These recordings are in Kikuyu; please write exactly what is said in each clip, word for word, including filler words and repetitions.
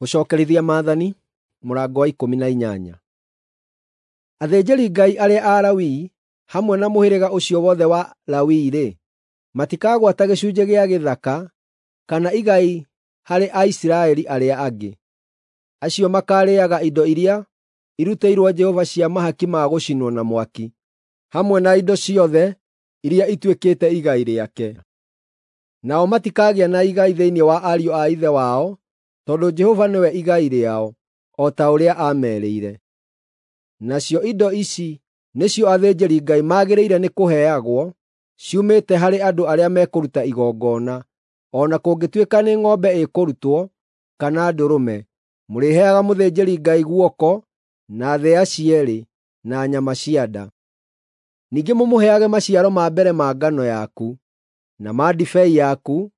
Gũcookerithia Maathani mũrango wa ikũmi na inyanya. Athĩnjĩri-Ngai arĩa Alawii, hamwe na mũhĩrĩga ũcio wothe wa Lawi-rĩ, matikagwata gĩcunjĩ gĩa gĩthaka kana igai harĩ Aisiraeli arĩa angĩ. Acio makaarĩĩaga indo iria irutĩirwo Jehova cia mahaki ma gũcinwo na mwaki, hamwe na indo ciothe iria ituĩkĩte igai rĩake. Nao matikagĩa na igai thĩinĩ wa ariũ a ithe wao, tondũ Jehova nĩwe igai rĩao, o ta ũrĩa aamerĩire. Nacio indo ici nĩcio athĩnjĩri-Ngai magĩrĩire nĩ kũheagwo ciumĩte harĩ andũ arĩa mekũruta igongona, o na kũngĩtuĩka nĩ ng'ombe ĩkũrutwo kana ndũrũme, mũrĩheaga mũthĩnjĩri-Ngai guoko, na thĩa cierĩ, na nyama cia nda. Ningĩ mũmũheage maciaro ma mbere ma ngano yaku, na ma ndibei yaku,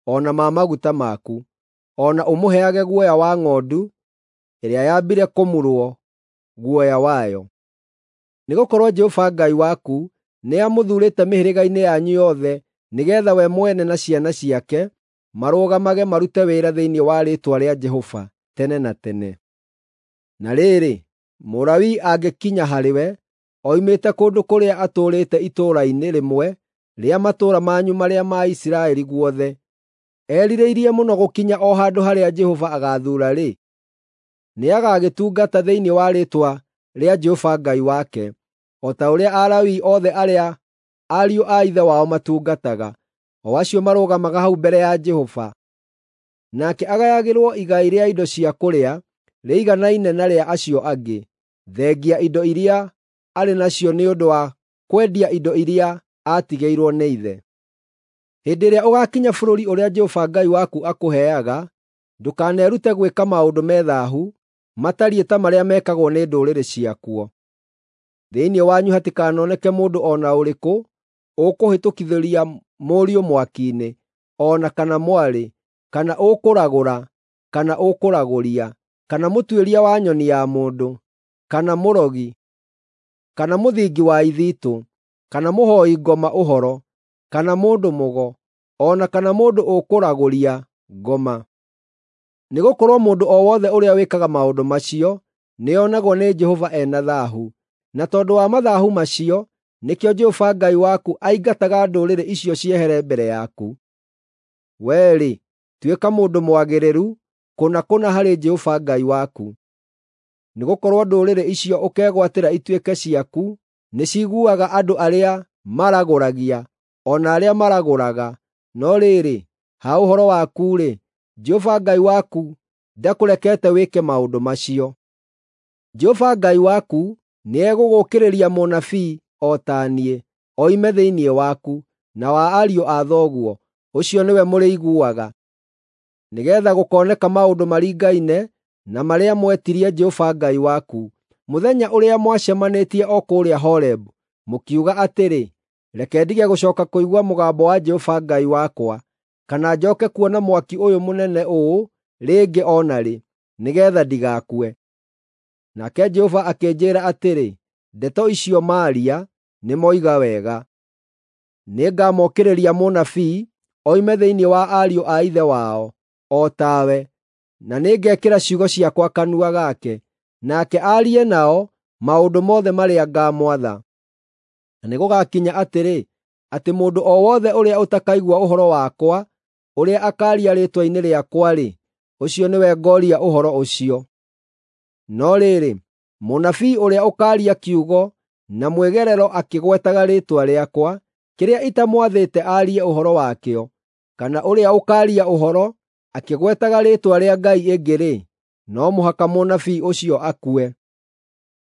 o na ma maguta maku, o na ũmũheage guoya wa ng'ondu ĩrĩa yambire kũmurwo guoya wayo. Nĩgũkorwo Jehova Ngai waku nĩamũthuurĩte mĩhĩrĩga-inĩ yanyu yothe nĩgeetha we mwene na ciana ciake marũgamage marute wĩra thĩinĩ wa rĩĩtwa rĩa Jehova tene na tene. Na rĩrĩ, Mũlawii angĩkinya harĩwe oimĩte kũndũ kũrĩa atũũrĩte itũũra-inĩ rĩmwe rĩa matũũra manyu marĩa ma Isiraeli guothe, erirĩirie mũno gũkinya o handũ harĩa Jehova agaathuura-rĩ, nĩagagĩtungata thĩinĩ wa rĩĩtwa rĩa Jehova Ngai wake, o ta ũrĩa Alawii othe arĩa ariũ a ithe wao matungataga, o acio marũgamaga hau mbere ya Jehova. Nake agayagĩrwo igai rĩa indo cia kũrĩa rĩiganaine na rĩa acio angĩ, thengia indo iria arĩ nacio nĩ ũndũ wa kwendia indo iria aatigĩirwo nĩ ithe. Hĩndĩ ĩrĩa ũgaakinya bũrũri ũrĩa Jehova Ngai waku akũheaga, ndũkanerute gwĩka maũndũ me thaahu matariĩ ta marĩa mekagwo nĩ ndũrĩrĩ ciakuo. Thĩinĩ wanyu hatikanoneke mũndũ o na ũrĩkũ ũkũhĩtũkithĩria mũriũ mwaki-inĩ, o na kana mwarĩ, kana ũkũragũra, kana ũkũragũria, kana mũtuĩria wa nyoni ya mũndũ, kana mũrogi, kana mũthingi wa ithitũ, kana mũhooi ngoma ũhoro, kana mũndũ mũgo, o na kana mũndũ ũkũragũria ngoma. Nĩgũkorwo mũndũ o wothe ũrĩa wĩkaga maũndũ macio nĩonagwo nĩ Jehova e na thaahu, na tondũ wa mathaahu macio nĩkĩo Jehova Ngai waku aingataga ndũrĩrĩ icio ciehere mbere yaku. Wee-rĩ, tuĩka mũndũ mwagĩrĩru kũna kũna harĩ Jehova Ngai waku. Nĩgũkorwo ndũrĩrĩ icio ũkegwatĩra ituĩke ciaku nĩciguaga andũ arĩa maragũragia, o na arĩa maragũraga, no rĩrĩ, ha ũhoro waku-rĩ, Jehova Ngai waku ndakũrekete wĩke maũndũ macio. Jehova Ngai waku nĩegũgũũkĩrĩria mũnabii o ta niĩ, oime thĩinĩ waku, na wa ariũ a thoguo, ũcio nĩwe mũrĩiguaga, nĩgeetha gũkooneka maũndũ maringaine na marĩa mwetirie Jehova Ngai waku mũthenya ũrĩa mwacemanĩtie o kũrĩa Horebu, mũkiuga atĩrĩ, “Reke ndige gũcooka kũigua mũgambo wa Jehova Ngai wakwa, kana njooke kuona mwaki ũyũ mũnene ũũ rĩngĩ o na rĩ, nĩgeetha ndigakue.” Nake Jehova akĩnjĩĩra atĩrĩ, “Ndeto icio maaria nĩmoiga wega. Nĩngamokĩrĩria mũnabii oime thĩinĩ wa ariũ a ithe wao, o tawe, na nĩngekĩra ciugo ciakwa kanua gake, nake aarie nao maũndũ mothe marĩa ngaamwatha. Na nĩgũgakinya atĩrĩ, atĩ mũndũ o wothe ũrĩa ũtakaigua ũhoro wakwa ũrĩa akaaria rĩĩtwa-inĩ rĩakwa-rĩ, ũcio nĩwe ngooria ũhoro ũcio. No rĩrĩ, mũnabii ũrĩa ũkaaria kiugo na mwĩgerero akĩgwetaga rĩĩtwa rĩakwa, kĩrĩa itamwathĩte aarie ũhoro wakĩo, kana ũrĩa ũkaaria ũhoro akĩgwetaga rĩĩtwa rĩa ngai ĩngĩ-rĩ, no mũhaka mũnabii ũcio akue.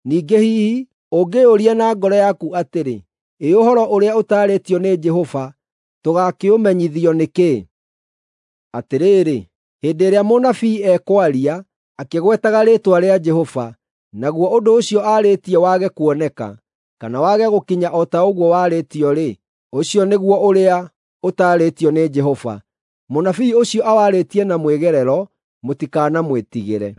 Ningĩ hihi ũngĩĩyũria na ngoro yaku atĩrĩ, “Ĩ ũhoro ũrĩa ũtaarĩtio nĩ Jehova tũgaakĩũmenyithio nĩkĩ?” Atĩrĩrĩ, hĩndĩ ĩrĩa mũnabii ekwaria akĩgwetaga rĩĩtwa rĩa Jehova, naguo ũndũ ũcio aarĩtie wage kuoneka, kana wage gũkinya o ta ũguo warĩtio-rĩ, ũcio nĩguo ũrĩa ũtaarĩtio nĩ Jehova. Mũnabii ũcio awarĩtie na mwĩgerero, mũtikanamwĩtigĩre.